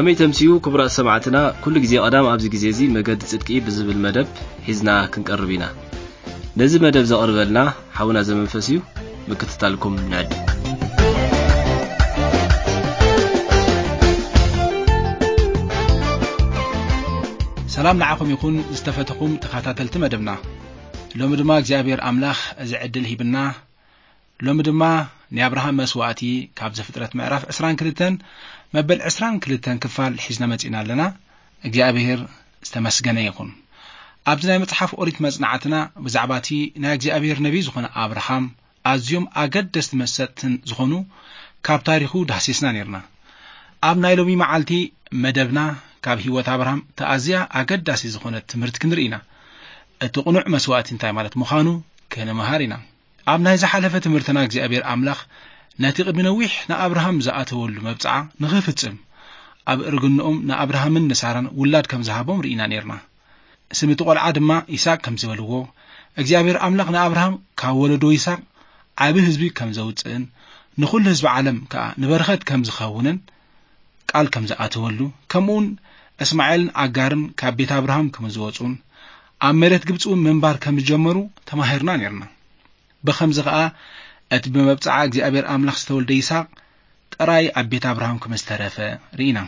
ከመይ ተምስዩ ክቡራት ሰማዕትና፣ ኩሉ ግዜ ቀዳም ኣብዚ ግዜ እዚ መገዲ ጽድቂ ብዝብል መደብ ሒዝና ክንቀርብ ኢና። ነዚ መደብ ዘቕርበልና ሓውና ዘመንፈስ እዩ። ምክትታልኩም ንዕድ። ሰላም ንዓኹም ይኹን ዝተፈተኹም ተኸታተልቲ መደብና። ሎሚ ድማ እግዚኣብሔር ኣምላኽ እዚ ዕድል ሂብና። ሎሚ ድማ ናይ ኣብርሃም መስዋእቲ ካብ ዘፍጥረት ምዕራፍ ዕስራን ክልተን መበል ዕስራን ክልተን ክፋል ሒዝና መጺና ኣለና። እግዚኣብሔር ዝተመስገነ ይኹን። ኣብዚ ናይ መጽሓፍ ኦሪት መጽናዕትና ብዛዕባ እቲ ናይ እግዚኣብሔር ነቢይ ዝኾነ ኣብርሃም ኣዝዮም ኣገደስቲ መሰጥትን ዝኾኑ ካብ ታሪኹ ዳህሲስና ነርና። ኣብ ናይ ሎሚ መዓልቲ መደብና ካብ ህይወት ኣብርሃም ተኣዝያ ኣገዳሲ ዝኾነት ትምህርቲ ክንርኢ ኢና። እቲ ቅኑዕ መስዋእቲ እንታይ ማለት ምዃኑ ክንምሃር ኢና። ኣብ ናይ ዝሓለፈ ትምህርትና እግዚኣብሔር ኣምላኽ ነቲ ቅድሚ ነዊሕ ንኣብርሃም ዝኣተወሉ መብጽዓ ንኽፍጽም ኣብ እርግንኦም ንኣብርሃምን ንሳራን ውላድ ከም ዝሃቦም ርኢና ነርና። ስም እቲ ቆልዓ ድማ ይስሐቅ ከም ዝበልዎ፣ እግዚኣብሔር ኣምላኽ ንኣብርሃም ካብ ወለዶ ይስሐቅ ዓቢ ህዝቢ ከም ዘውጽእን ንኹሉ ህዝቢ ዓለም ከኣ ንበረኸት ከም ዝኸውንን ቃል ከም ዝኣተወሉ፣ ከምኡውን እስማኤልን ኣጋርን ካብ ቤት ኣብርሃም ከም ዝወጹን ኣብ መሬት ግብጺ እውን ምንባር ከም ዝጀመሩ ተማሂርና ነርና። ብኸምዚ ኸኣ እቲ ብመብጽዓ እግዚኣብሔር ኣምላኽ ዝተወልደ ይስሐቅ ጥራይ ኣብ ቤት ኣብርሃም ከም ዝተረፈ ርኢና።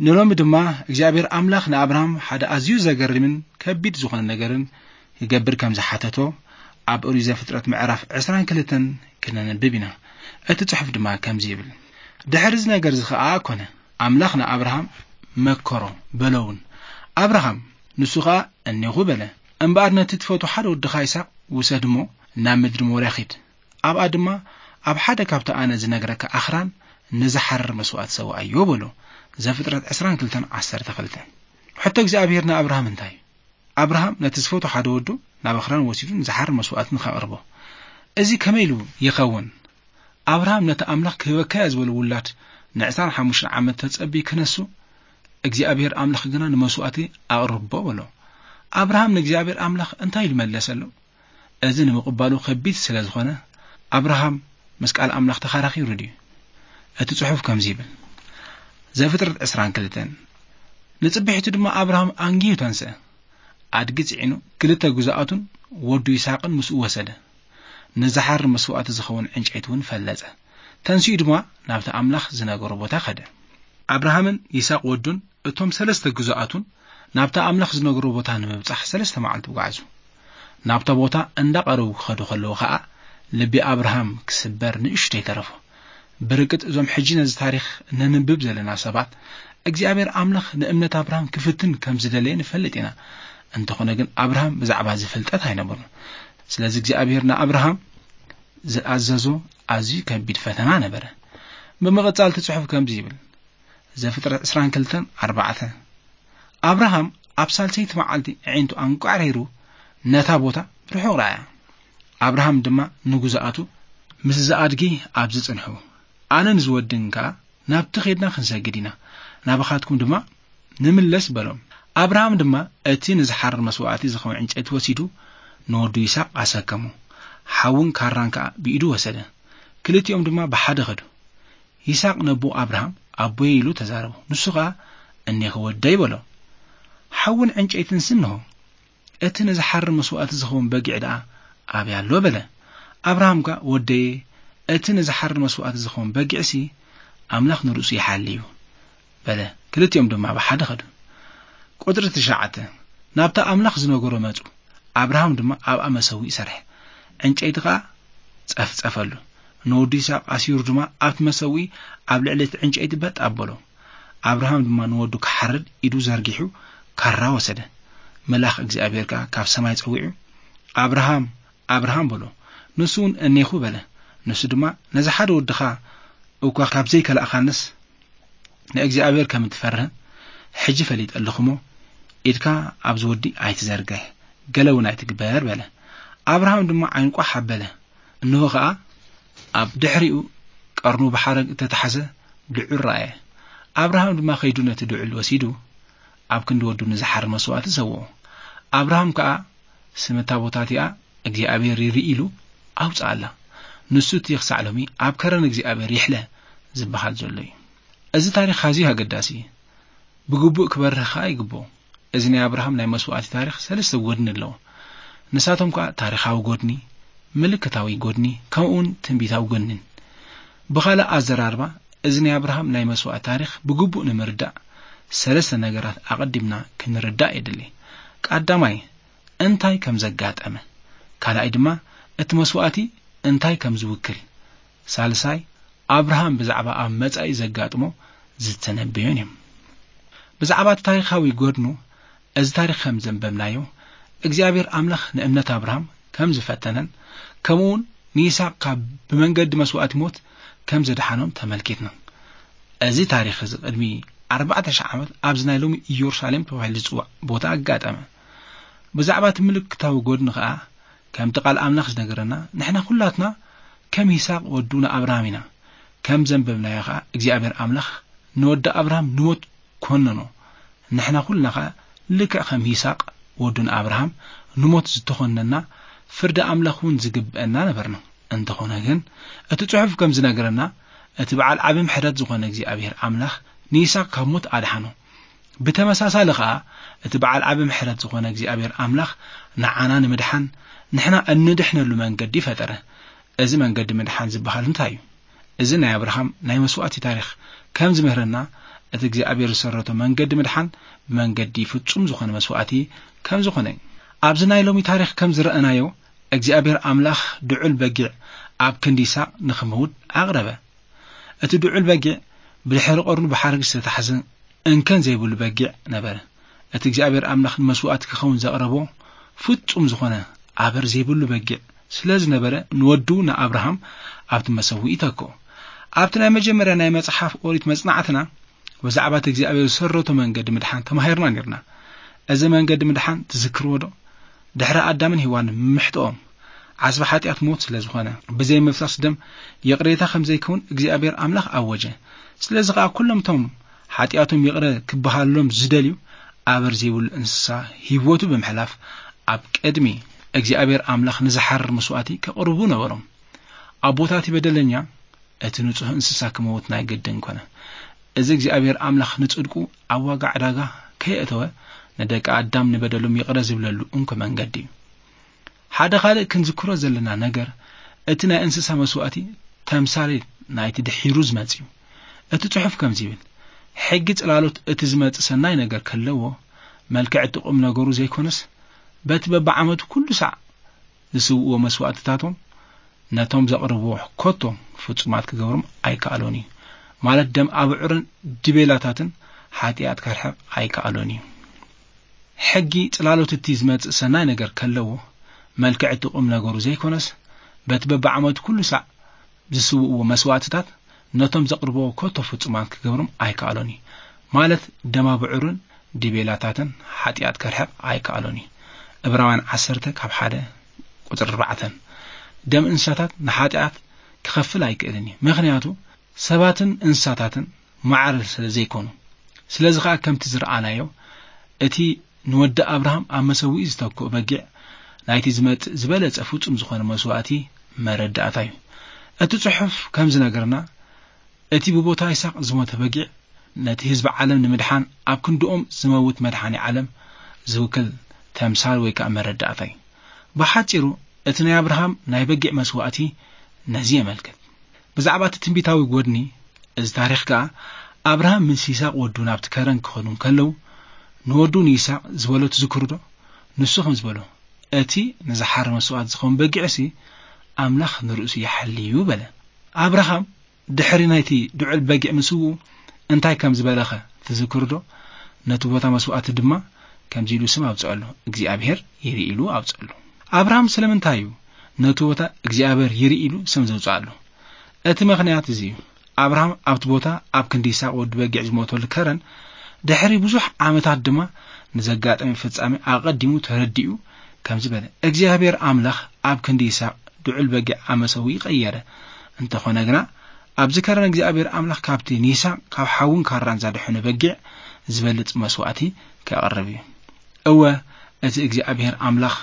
ንሎሚ ድማ እግዚኣብሔር ኣምላኽ ንኣብርሃም ሓደ ኣዝዩ ዘገርምን ከቢድ ዝኾነ ነገርን ክገብር ከም ዝሓተቶ ኣብ ኦሪት ዘፍጥረት ምዕራፍ ዕስራን ክልተን ክነንብብ ኢና። እቲ ጽሑፍ ድማ ከምዚ ይብል፣ ድሕሪ እዚ ነገር እዚ ኸኣ ኮነ፣ ኣምላኽ ንኣብርሃም መከሮ፣ በሎ እውን፣ ኣብርሃም፣ ንሱ ኸኣ እኔኹ በለ፣ እምበኣር ነቲ ትፈቱ ሓደ ወድኻ ይስሐቅ ውሰድ እሞ ናብ ምድሪ ሞርያ ኺድ፣ ኣብኣ ድማ ኣብ ሓደ ካብቲ ኣነ ዝነግረካ ኣኽራን ንዝሓርር መስዋእቲ ሰውኣዮ በሎ። ዘፍጥረት ዕስራን ክልተን ዓሰርተ ክልተ። ሕቶ እግዚኣብሔር ንኣብርሃም እንታይ እዩ? ኣብርሃም ነቲ ዝፈቱ ሓደ ወዱ ናብ ኣኽራን ወሲዱ ንዝሓርር መስዋእቲ ንኸቕርቦ። እዚ ከመይ ኢሉ ይኸውን? ኣብርሃም ነቲ ኣምላኽ ክህበካዮ ዝበሎ ውላድ ንዕስራን ሓሙሽተን ዓመት ተጸብዩ ክነሱ፣ እግዚኣብሔር ኣምላኽ ግና ንመስዋእቲ ኣቕርቦ በሎ። ኣብርሃም ንእግዚኣብሔር ኣምላኽ እንታይ ኢሉ መለሰሉ? እዚ ንምቕባሉ ከቢድ ስለ ዝኾነ፣ ኣብርሃም ምስ ቃል ኣምላኽ ተኸራኺሩ ድዩ? እቲ ጽሑፍ ከምዚ ይብል፣ ዘፍጥረት ዕስራን ክልተን፣ ንጽብሒቱ ድማ ኣብርሃም ኣንጊሁ ተንስአ። ኣድጊ ጽዒኑ፣ ክልተ ግዙኣቱን ወዱ ይስሓቅን ምስኡ ወሰደ። ንዝሓርር መስዋእቲ ዝኸውን ዕንጨይቲ እውን ፈለጸ። ተንሲኡ ድማ ናብቲ ኣምላኽ ዝነገሮ ቦታ ከደ። ኣብርሃምን ይስሓቅ ወዱን እቶም ሰለስተ ግዙኣቱን ናብታ ኣምላኽ ዝነግሮ ቦታ ንምብጻሕ ሰለስተ መዓልቲ ጓዕዙ። ናብታ ቦታ እንዳቐረቡ ክኸዱ ከለዉ ኸኣ፣ ልቢ ኣብርሃም ክስበር ንእሽቶ ይተረፎ። ብርግጽ እዞም ሕጂ ነዚ ታሪኽ ነንብብ ዘለና ሰባት፣ እግዚኣብሔር ኣምላኽ ንእምነት ኣብርሃም ክፍትን ከም ዝደለየ ንፈልጥ ኢና። እንተኾነ ግን ኣብርሃም ብዛዕባ እዚ ፍልጠት ኣይነበሮን። ስለዚ እግዚኣብሔር ንኣብርሃም ዝኣዘዞ ኣዝዩ ከቢድ ፈተና ነበረ። ብምቕጻል እቲ ጽሑፍ ከምዚ ይብል፣ ዘፍጥረት ዕስራን ክልተን ኣርባዕተ፣ ኣብርሃም ኣብ ሳልሰይቲ መዓልቲ ኣዒንቱ ኣንቋዕሪሩ ነታ ቦታ ብርሑቕ ረኣያ። ኣብርሃም ድማ ንግዙኣቱ፣ "ምስዚ ኣድጊ ኣብዚ ጽንሑ፣ ኣነን ዝወድን ከኣ ናብቲ ኼድና ክንሰግድ ኢና፣ ናባኻትኩም ድማ ንምለስ" በሎም። ኣብርሃም ድማ እቲ ንዝሓርር መስዋእቲ ዝኸውን ዕንጨይቲ ወሲዱ ንወዱ ይስሓቅ ኣሰከሞ። ሓውን ካራን ከኣ ብኢዱ ወሰደ። ክልቲኦም ድማ ብሓደ ኸዱ። ይስሓቅ ነቦኡ ኣብርሃም፣ "ኣቦየ" ኢሉ ተዛረቦ። ንሱ ኸኣ፣ "እኔኸ ወደይ" በሎ። ሓውን ዕንጨይትን ስንሆ፣ "እቲ ንዝሓርር መስዋእቲ ዝኸውን በጊዕ ደኣ ኣበይ ኣሎ?" በለ። ኣብርሃም ከኣ፣ "ወደየ፣ እቲ ንዝሓርር መስዋእቲ ዝኸውን በጊዕሲ ኣምላኽ ንርእሱ ይሓሊ እዩ" በለ። ክልቲኦም ድማ ብሓደ ኸዱ። ቁጽሪ ትሽዓተ፣ ናብታ ኣምላኽ ዝነገሮ መጹ። ኣብርሃም ድማ ኣብኣ መሰውኢ ሰርሐ። ዕንጨይቲ ኸኣ ጸፍጸፈሉ። ንወዱ ይስሓቅ ኣሲሩ ድማ ኣብቲ መሰውኢ ኣብ ልዕሊ እቲ ዕንጨይቲ በጥ ኣበሎ። ኣብርሃም ድማ ንወዱ ክሓርድ ኢዱ ዘርጊሑ ካራ ወሰደ። መልኣኽ እግዚኣብሔር ከኣ ካብ ሰማይ ጸዊዑ፣ "ኣብርሃም፣ ኣብርሃም" በሎ። ንሱ እውን "እኔኹ" በለ። ንሱ ድማ፣ "ነዚ ሓደ ወድኻ እኳ ካብ ዘይከላእካንስ፣ ንእግዚኣብሔር ከም እትፈርህ ሕጂ ፈሊጠ ኣለኹ እሞ፣ ኢድካ ኣብዚ ወዲ ኣይትዘርግሕ፣ ገለ እውን ኣይትግበር" በለ። ኣብርሃም ድማ ዓይኑ ቋሕ ኣበለ። እንሆ ኸኣ፣ ኣብ ድሕሪኡ ቀርኑ ብሓረግ እተታሕዘ ድዑል ረኣየ። ኣብርሃም ድማ ከይዱ ነቲ ድዑል ወሲዱ፣ ኣብ ክንዲ ወዱ ንዝሓርድ መስዋእቲ ሰውኦ። ኣብርሃም ከኣ ስም እታ ቦታ እቲኣ እግዚኣብሔር ይርኢ ኢሉ ኣውጽኣላ። ንሱ እቲ ክሳዕ ሎሚ ኣብ ከረን እግዚኣብሔር ይሕለ ዝበሃል ዘሎ እዩ። እዚ ታሪኽ ኣዝዩ ኣገዳሲ እዩ። ብግቡእ ክበርህ ከኣ ይግብኦ። እዚ ናይ ኣብርሃም ናይ መስዋእቲ ታሪኽ ሰለስተ ጎድኒ ኣለዎ። ንሳቶም ከኣ ታሪኻዊ ጎድኒ፣ ምልክታዊ ጎድኒ፣ ከምኡውን ትንቢታዊ ጎድኒን። ብኻልእ ኣዘራርባ፣ እዚ ናይ ኣብርሃም ናይ መስዋእቲ ታሪኽ ብግቡእ ንምርዳእ ሰለስተ ነገራት ኣቐዲምና ክንርዳእ የድሊ። ቀዳማይ፣ እንታይ ከም ዘጋጠመ፣ ካልኣይ ድማ እቲ መስዋእቲ እንታይ ከም ዝውክል፣ ሳልሳይ ኣብርሃም ብዛዕባ ኣብ መጻኢ ዘጋጥሞ ዝተነበዮን እዮም። ብዛዕባ እቲ ታሪኻዊ ጎድኑ፣ እዚ ታሪኽ ከም ዘንበብናዮ፣ እግዚኣብሔር ኣምላኽ ንእምነት ኣብርሃም ከም ዝፈተነን፣ ከምኡውን ንይስሐቅ ካብ ብመንገዲ መስዋእቲ ሞት ከም ዘድሓኖም ተመልኪትና። እዚ ታሪኽ እዚ ቅድሚ ኣርባዕተ ሽሕ ዓመት ኣብዚ ናይ ሎሚ ኢየሩሳሌም ተባሂሉ ዝጽዋዕ ቦታ ኣጋጠመ። ብዛዕባ እቲ ምልክታዊ ጎድኑ ኸኣ፣ ከምቲ ቃል ኣምላኽ ዝነገረና፣ ንሕና ኩላትና ከም ይስሐቅ ወዱ ንኣብርሃም ኢና። ከም ዘንበብናዮ ኸኣ እግዚኣብሔር ኣምላኽ ንወዲ ኣብርሃም ንሞት ኮነኖ። ንሕና ኩልና ኸኣ ልክዕ ከም ይስሐቅ ወዱ ንኣብርሃም ንሞት ዝተኾነና፣ ፍርዲ ኣምላኽ እውን ዝግብአና ነበርና። እንተኾነ ግን፣ እቲ ጽሑፍ ከም ዝነገረና፣ እቲ በዓል ዓቢ ምሕረት ዝኾነ እግዚኣብሔር ኣምላኽ ንይስሐቅ ካብ ሞት ኣድሓኖ። ብተመሳሳሊ ኸኣ፣ እቲ በዓል ዓቢ ምሕረት ዝኾነ እግዚኣብሔር ኣምላኽ ንዓና ንምድሓን፣ ንሕና እንድሕነሉ መንገዲ ፈጠረ። እዚ መንገዲ ምድሓን ዝበሃል እንታይ እዩ? እዚ ናይ ኣብርሃም ናይ መስዋእቲ ታሪኽ ከም ዝምህረና፣ እቲ እግዚኣብሔር ዝሰረቶ መንገዲ ምድሓን ብመንገዲ ፍጹም ዝኾነ መስዋእቲ ከም ዝኾነ እዩ። ኣብዚ ናይ ሎሚ ታሪኽ ከም ዝረኣናዮ፣ እግዚኣብሔር ኣምላኽ ድዑል በጊዕ ኣብ ክንዲ ይስሐቅ ንኽመውት ኣቕረበ። እቲ ድዑል በጊዕ ብድሕሪ ቀርኑ ብሓረግ ዝተታሕዘ እንከን ዘይብሉ በጊዕ ነበረ። እቲ እግዚኣብሔር ኣምላኽ ንመስዋእቲ ክኸውን ዘቕረቦ ፍጹም ዝኾነ ኣበር ዘይብሉ በጊዕ ስለ ዝነበረ፣ ንወዱ ንኣብርሃም ኣብቲ መሰውኢ ተክኦ። ኣብቲ ናይ መጀመርያ ናይ መጽሓፍ ኦሪት መጽናዕትና፣ ብዛዕባ እቲ እግዚኣብሔር ዝሰረቶ መንገዲ ምድሓን ተማሂርና ነርና። እዚ መንገዲ ምድሓን ትዝክርዎ ዶ? ድሕሪ ኣዳምን ሄዋንን ምምሕጥኦም፣ ዓስቢ ሓጢኣት ሞት ስለ ዝኾነ፣ ብዘይ ምፍሳስ ደም ይቕሬታ ከም ዘይከውን እግዚኣብሔር ኣምላኽ ኣወጀ። ስለዚ ኸኣ ኩሎም እቶም ሓጢኣቶም ይቕረ ክበሃሎም ዝደልዩ ኣበር ዘይብሉ እንስሳ ህይወቱ ብምሕላፍ ኣብ ቅድሚ እግዚኣብሔር ኣምላኽ ንዝሓርር መስዋእቲ ከቕርቡ ነበሮም። ኣብ ቦታ እቲ በደለኛ እቲ ንጹህ እንስሳ ክመውት ናይ ግድን ኮነ። እዚ እግዚኣብሔር ኣምላኽ ንጽድቁ ኣብ ዋጋ ዕዳጋ ከየእተወ ንደቂ ኣዳም ንበደሎም ይቕረ ዝብለሉ እንኮ መንገዲ እዩ። ሓደ ካልእ ክንዝክሮ ዘለና ነገር እቲ ናይ እንስሳ መስዋእቲ ተምሳሌት ናይቲ ድሒሩ ዝመጽእ እዩ። እቲ ጽሑፍ ከምዚ ይብል፣ ሕጊ ጽላሎት እቲ ዝመጽእ ሰናይ ነገር ከለዎ መልክዕ እቲ ቁም ነገሩ ዘይኮነስ በቲ በብዓመቱ ኩሉ ሳዕ ዝስውእዎ መስዋእትታቶም ነቶም ዘቕርብዎ ኮቶ ፍጹማት ክገብሮም ኣይከኣሎን እዩ። ማለት ደም ኣብዑርን ድቤላታትን ሓጢኣት ከርሕቕ ኣይከኣሎን እዩ። ሕጊ ጽላሎት እቲ ዝመጽእ ሰናይ ነገር ከለዎ መልክዕ እቲ ቁም ነገሩ ዘይኮነስ በቲ በብዓመቱ ኩሉ ሳዕ ዝስውእዎ መስዋእትታት ነቶም ዘቕርብዎ ኮቶ ፍጹማት ክገብሮም ኣይከኣሎን እዩ። ማለት ደም ኣብዑርን ድቤላታትን ሓጢኣት ከርሕቕ ኣይከኣሎን እዩ። ዕብራውያን ዓሰርተ ካብ ሓደ ቁጽሪ ኣርባዕተ። ደም እንስሳታት ንሓጢኣት ክኸፍል ኣይክእልን እዩ። ምኽንያቱ ሰባትን እንስሳታትን ማዕረ ስለ ዘይኮኑ። ስለዚ ኸኣ ከምቲ ዝረኣናዮ እቲ ንወዲ ኣብርሃም ኣብ መሰውኢ ዝተክኦ በጊዕ ናይቲ ዝመጽእ ዝበለጸ ፍጹም ዝኾነ መስዋእቲ መረዳእታ እዩ። እቲ ጽሑፍ ከም ዝነገርና እቲ ብቦታ ይስሐቅ ዝሞተ በጊዕ ነቲ ህዝቢ ዓለም ንምድሓን ኣብ ክንድኦም ዝመውት መድሓኒ ዓለም ዝውክል ተምሳል ወይ ከኣ መረዳእታ እዩ። ብሓጺሩ እቲ ናይ ኣብርሃም ናይ በጊዕ መስዋእቲ ነዚ የመልክት። ብዛዕባ እቲ ትንቢታዊ ጎድኒ እዚ ታሪኽ ከኣ ኣብርሃም ምስ ይስሐቅ ወዱ ናብቲ ከረን ክኸዱ እንከለዉ ንወዱ ንይስሐቅ ዝበሎ ትዝክሩ ዶ? ንሱ ከም ዝበሎ እቲ ንዝሓር መስዋእቲ ዝኸውን በጊዕሲ ኣምላኽ ንርእሱ ይሓልዩ በለ። ኣብርሃም ድሕሪ ናይቲ ድዑል በጊዕ ምስውኡ እንታይ ከም ዝበለኸ ትዝክሩ ዶ? ነቲ ቦታ መስዋእቲ ድማ ከምዚ ኢሉ ስም ኣውጽኣሉ፣ እግዚኣብሔር ይርኢ ኢሉ ኣውጽኣሉ። ኣብርሃም ስለምንታይ እዩ ነቲ ቦታ እግዚኣብሔር ይርኢ ኢሉ ስም ዘውጽኣሉ? እቲ ምኽንያት እዚ እዩ። ኣብርሃም ኣብቲ ቦታ ኣብ ክንዲ ይስሐቅ ወዲ በጊዕ ዝሞተሉ ከረን ድሕሪ ብዙሕ ዓመታት ድማ ንዘጋጠመ ፍጻሜ ኣቐዲሙ ተረዲኡ ከምዚ በለ፣ እግዚኣብሔር ኣምላኽ ኣብ ክንዲ ይስሐቅ ድዑል በጊዕ ኣብ መሰውኢ ቀየረ። እንተኾነ ግና ኣብዚ ከረን እግዚኣብሔር ኣምላኽ ካብቲ ንይስሐቅ ካብ ሓውን ካራን ዘድሐነ በጊዕ ዝበልጽ መስዋእቲ ከቕርብ እዩ። እወ፣ እቲ እግዚኣብሔር ኣምላኽ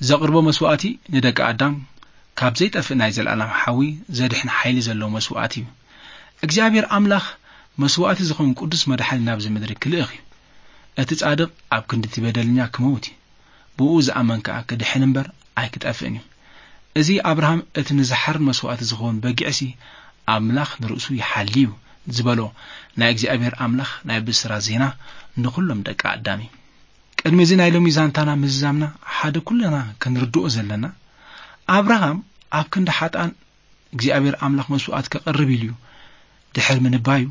ዘቕርቦ መስዋእቲ ንደቂ ኣዳም ካብ ዘይጠፍእ ናይ ዘለኣለም ሓዊ ዘድሕን ሓይሊ ዘለዎ መስዋእቲ እዩ። እግዚኣብሔር ኣምላኽ መስዋእቲ ዝኾን ቅዱስ መድሓኒ ናብዚ ምድሪ ክልእኽ እዩ። እቲ ጻድቕ ኣብ ክንዲ እቲ በደለኛ ክመውት እዩ። ብኡ ዝኣመን ከኣ ክድሕን እምበር ኣይክጠፍእን እዩ። እዚ ኣብርሃም እቲ ንዝሓርን መስዋእቲ ዝኸውን በጊዕሲ ኣምላኽ ንርእሱ ይሓሊ እዩ ዝበሎ ናይ እግዚኣብሔር ኣምላኽ ናይ ብስራት ዜና ንኹሎም ደቂ ኣዳም እዩ። ቅድሚ እዚ ናይ ሎሚ ዛንታና ምዝዛምና ሓደ ኩልና ክንርድኦ ዘለና ኣብርሃም ኣብ ክንዲ ሓጥኣን እግዚኣብሔር ኣምላኽ መስዋእት ከቕርብ ኢሉ እዩ ድሕር ምንባዩ፣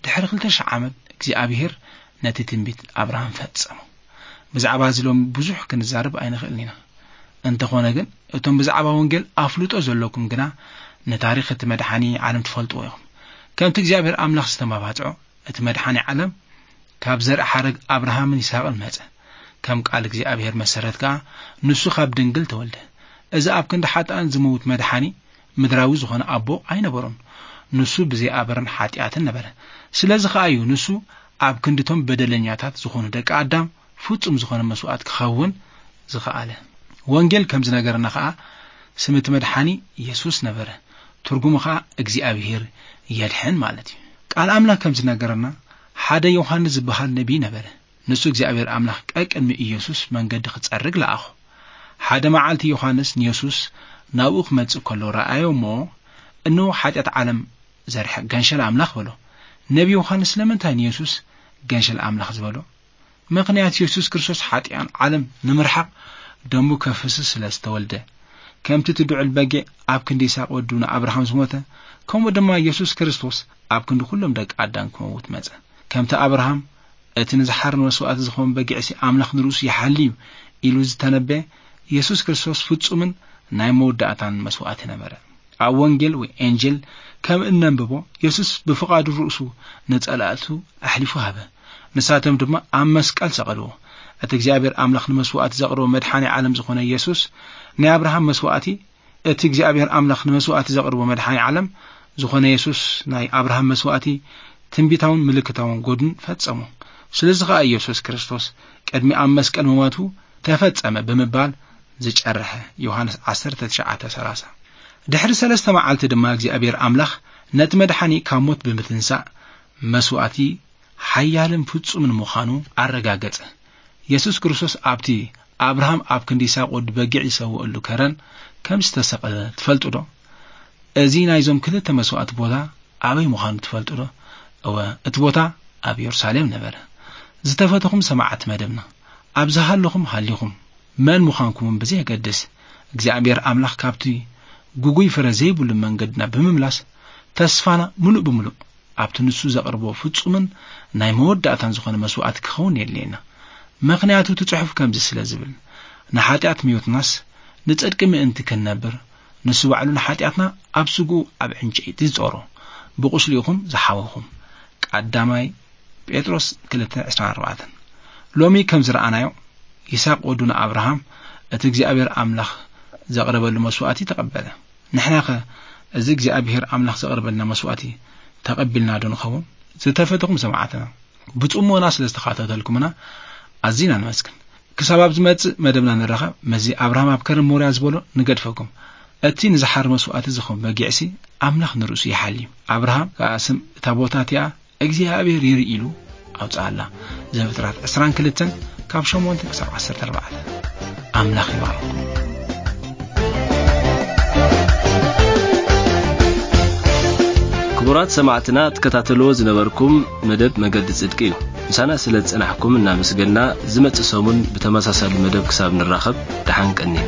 ድሕሪ ክልተ ሽሕ ዓመት እግዚኣብሔር ነቲ ትንቢት ኣብርሃም ፈጸሞ። ብዛዕባ እዚ ሎሚ ብዙሕ ክንዛረብ ኣይንኽእልን ኢና። እንተኾነ ግን እቶም ብዛዕባ ወንጌል ኣፍልጦ ዘለኩም ግና ንታሪኽ እቲ መድሓኒ ዓለም ትፈልጥዎ ኢኹም። ከምቲ እግዚኣብሔር ኣምላኽ ዝተመባጽዖ እቲ መድሓኒ ዓለም ካብ ዘርኢ ሓረግ ኣብርሃምን ይስሐቅን መጸ። ከም ቃል እግዚኣብሔር መሰረት ከኣ ንሱ ካብ ድንግል ተወልደ። እዚ ኣብ ክንዲ ሓጥኣን ዝመውት መድሓኒ ምድራዊ ዝኾነ ኣቦ ኣይነበሮን። ንሱ ብዘይ ኣበርን ሓጢኣትን ነበረ። ስለዚ ከኣ እዩ ንሱ ኣብ ክንድቶም በደለኛታት ዝኾኑ ደቂ ኣዳም ፍጹም ዝኾነ መስዋእት ክኸውን ዝኸኣለ። ወንጌል ከም ዝነገረና ከኣ ስም እቲ መድሓኒ የሱስ ነበረ። ትርጉሙ ከኣ እግዚኣብሔር የድሕን ማለት እዩ። ቃል ኣምላኽ ከም ዝነገረና ሓደ ዮሃንስ ዝበሃል ነቢይ ነበረ። ንሱ እግዚኣብሔር ኣምላኽ ቀቅድሚ ኢየሱስ መንገዲ ክጸርግ ለኣኹ። ሓደ መዓልቲ ዮሃንስ ንየሱስ ናብኡ ክመጽእ ከሎ ረኣዮ እሞ፣ "እንሆ ሓጢኣት ዓለም ዘርሕቕ ገንሸል ኣምላኽ" በሎ። ነቢ ዮሃንስ ስለምንታይ ንየሱስ ገንሸል ኣምላኽ ዝበሎ? ምኽንያት የሱስ ክርስቶስ ሓጢኣን ዓለም ንምርሓቕ ደሙ ከፍስስ ስለ ዝተወልደ። ከምቲ እቲ ድዑል በጊዕ ኣብ ክንዲ ይስሐቅ ወዱ ንኣብርሃም ዝሞተ፣ ከምኡ ድማ የሱስ ክርስቶስ ኣብ ክንዲ ኩሎም ደቂ ኣዳም ክመውት መጸ። ከምቲ ኣብርሃም እቲ ንዝሓር መስዋእቲ ዝኸውን በጊዕሲ ኣምላኽ ንርእሱ ይሓሊ እዩ ኢሉ ዝተነበየ፣ የሱስ ክርስቶስ ፍጹምን ናይ መወዳእታን መስዋእቲ ነበረ። ኣብ ወንጌል ወይ ኤንጀል ከም እነንብቦ፣ የሱስ ብፍቓዱ ርእሱ ንጸላእቱ ኣሕሊፉ ሃበ። ንሳቶም ድማ ኣብ መስቀል ሰቐልዎ። እቲ እግዚኣብሔር ኣምላኽ ንመስዋእቲ ዘቕርቦ መድሓኒ ዓለም ዝኾነ የሱስ ናይ ኣብርሃም መስዋእቲ፣ እቲ እግዚኣብሔር ኣምላኽ ንመስዋእቲ ዘቕርቦ መድሓኒ ዓለም ዝኾነ የሱስ ናይ ኣብርሃም መስዋእቲ ትንቢታውን ምልክታውን ጎድን ፈጸሞ። ስለዚ ኸኣ ኢየሱስ ክርስቶስ ቅድሚ ኣብ መስቀል ምማቱ ተፈጸመ ብምባል ዝጨርሐ። ዮሃንስ ዓሰርተ ትሽዓተ ሰላሳ። ድሕሪ ሰለስተ መዓልቲ ድማ እግዚኣብሔር ኣምላኽ ነቲ መድሓኒ ካብ ሞት ብምትንሳእ መስዋእቲ ሓያልን ፍጹምን ምዃኑ ኣረጋገጸ። የሱስ ክርስቶስ ኣብቲ ኣብርሃም ኣብ ክንዲ ይስሐቅ ወዲ በጊዕ ይሰውእሉ ከረን ከም ዝተሰቕለ ትፈልጡ ዶ? እዚ ናይዞም ክልተ መስዋእቲ ቦታ ኣበይ ምዃኑ ትፈልጡ ዶ? እወ፣ እቲ ቦታ ኣብ የሩሳሌም ነበረ። ዝተፈተኹም ሰማዕቲ መደብና፣ ኣብ ዝሃለኹም ሃሊኹም፣ መን ምዃንኩምን ብዘየገድስ፣ እግዚኣብሔር ኣምላኽ ካብቲ ግጉይ ፍረ ዘይብሉ መንገድና ብምምላስ፣ ተስፋና ምሉእ ብምሉእ ኣብቲ ንሱ ዘቕርቦ ፍጹምን ናይ መወዳእታን ዝኾነ መስዋእቲ ክኸውን የድልየና። ምኽንያቱ እቲ ጽሑፍ ከምዚ ስለ ዝብል፣ "ንሓጢኣት ምዮትናስ ንጽድቂ ምእንቲ ክንነብር፣ ንሱ ባዕሉ ንሓጢኣትና ኣብ ስግኡ ኣብ ዕንጨይቲ ዝጾሮ፣ ብቁስሉ ኢኹም ዝሓወኹም።" ቀዳማይ ጴጥሮስ ክልተ ዕስራን ኣርባዕተን። ሎሚ ከም ዝረኣናዮ፣ ይስሐቅ ወዱ ንኣብርሃም እቲ እግዚኣብሔር ኣምላኽ ዘቕረበሉ መስዋእቲ ተቐበለ። ንሕናኸ እዚ እግዚኣብሔር ኣምላኽ ዘቕርበልና መስዋእቲ ተቐቢልና ዶ ንኸውን? ዝተፈተኹም ሰማዕትና፣ ብጽሞና ስለ ዝተኸታተልኩምና ኣዚና ንመስግን። ክሳብ ኣብ ዝመጽእ መደብና ንራኸብ፣ ምስዚ ኣብርሃም ኣብ ከረን ሞርያ ዝበሎ ንገድፈኩም። እቲ ንዝሓር መስዋእቲ ዝኸውን በጊዕሲ ኣምላኽ ንርእሱ ይሓሊ እዩ። ኣብርሃም ከኣ ስም እታ ቦታ እቲኣ እግዚኣብሔር ይርኢ ኢሉ ኣውጽኣላ። ዘፍጥረት ዕስራን ክልተን ካብ ሸሞንተ ክሳብ ዓሰርተ ኣርባዕተ። ኣምላኽ ይባርኩም። ክቡራት ሰማዕትና፣ ትከታተልዎ ዝነበርኩም መደብ መገዲ ጽድቂ እዩ። ምሳና ስለ ዝጸናሕኩም እናመስገንና፣ ዝመጽእ ሰሙን ብተመሳሳሊ መደብ ክሳብ ንራኸብ፣ ደሓን ቀንዩ።